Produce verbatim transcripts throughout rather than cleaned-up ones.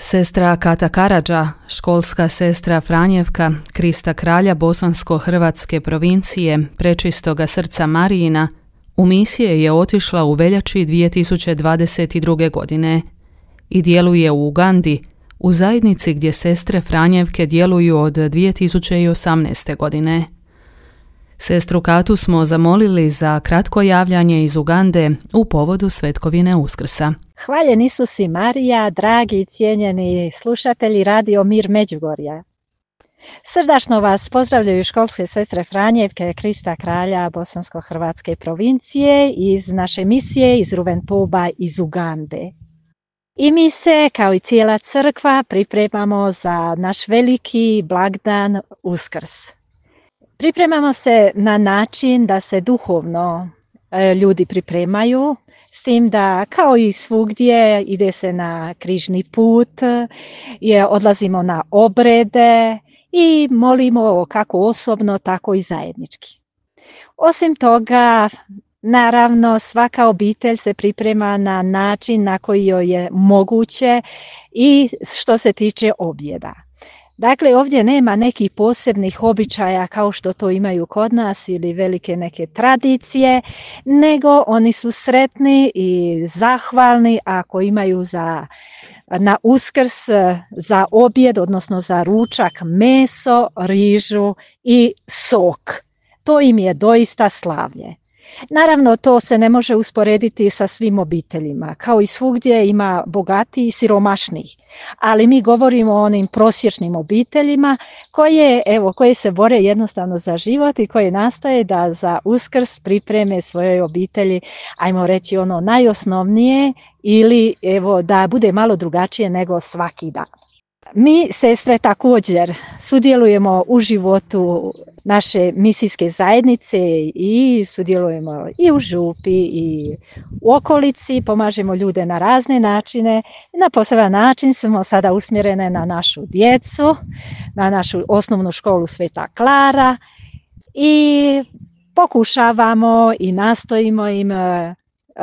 Sestra Kata Karadža, školska sestra Franjevka, Krista kralja bosansko-hrvatske provincije, Prečistoga srca Marijina, u misije je otišla u veljači dvije tisuće dvadeset druge. godine i djeluje u Ugandi, u zajednici gdje sestre Franjevke djeluju od dvije tisuće osamnaeste. godine. Sestru Katu smo zamolili za kratko javljanje iz Ugande u povodu Svetkovine Uskrsa. Hvaljen Isus i Marija, dragi i cijenjeni slušatelji Radio Mir Međugorja. Srdačno vas pozdravljaju školske sestre Franjevke, Krista kralja bosansko-hrvatske provincije iz naše misije iz Ruventuba iz Ugande. I mi se, kao i cijela crkva, pripremamo za naš veliki blagdan Uskrs. Pripremamo se na način da se duhovno e, ljudi pripremaju, s tim da kao i svugdje ide se na križni put, je, odlazimo na obrede i molimo kako osobno, tako i zajednički. Osim toga, naravno, svaka obitelj se priprema na način na koji joj je moguće i što se tiče objeda. Dakle, ovdje nema nekih posebnih običaja kao što to imaju kod nas ili velike neke tradicije, nego oni su sretni i zahvalni ako imaju za, na Uskrs za objed, odnosno za ručak, meso, rižu i sok. To im je doista slavlje. Naravno, to se ne može usporediti sa svim obiteljima. Kao i svugdje ima bogatiji i siromašnijih. Ali mi govorimo o onim prosječnim obiteljima koje, evo, koje se bore jednostavno za život i koje nastoje da za Uskrs pripreme svojoj obitelji, ajmo reći ono najosnovnije ili evo da bude malo drugačije nego svaki dan. Mi, sestre, također sudjelujemo u životu naše misijske zajednice i sudjelujemo i u župi i u okolici, pomažemo ljude na razne načine. Na poseban način smo sada usmjerene na našu djecu, na našu osnovnu školu Sveta Klara i pokušavamo i nastojimo im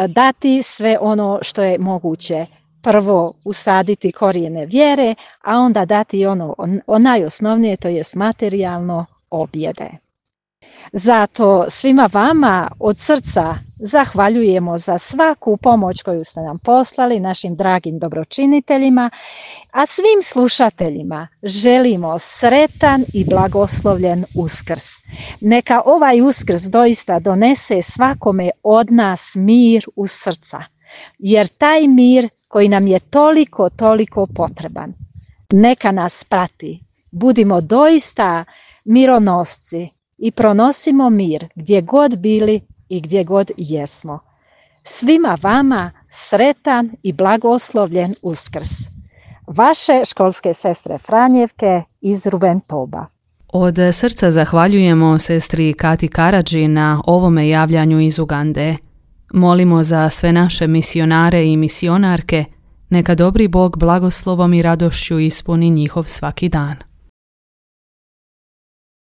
dati sve ono što je moguće. Prvo usaditi korijene vjere, a onda dati ono o najosnovnije, to jest materijalno objede. Zato svima vama od srca zahvaljujemo za svaku pomoć koju ste nam poslali, našim dragim dobročiniteljima, a svim slušateljima želimo sretan i blagoslovljen Uskrs. Neka ovaj Uskrs doista donese svakome od nas mir u srca, jer taj mir koji nam je toliko, toliko potreban, neka nas prati. Budimo doista mironosci i pronosimo mir gdje god bili i gdje god jesmo. Svima vama sretan i blagoslovljen Uskrs. Vaše školske sestre Franjevke iz Ruventoba. Od srca zahvaljujemo sestri Kati Karadži na ovome javljanju iz Ugande. Molimo za sve naše misionare i misionarke, neka dobri Bog blagoslovom i radošću ispuni njihov svaki dan.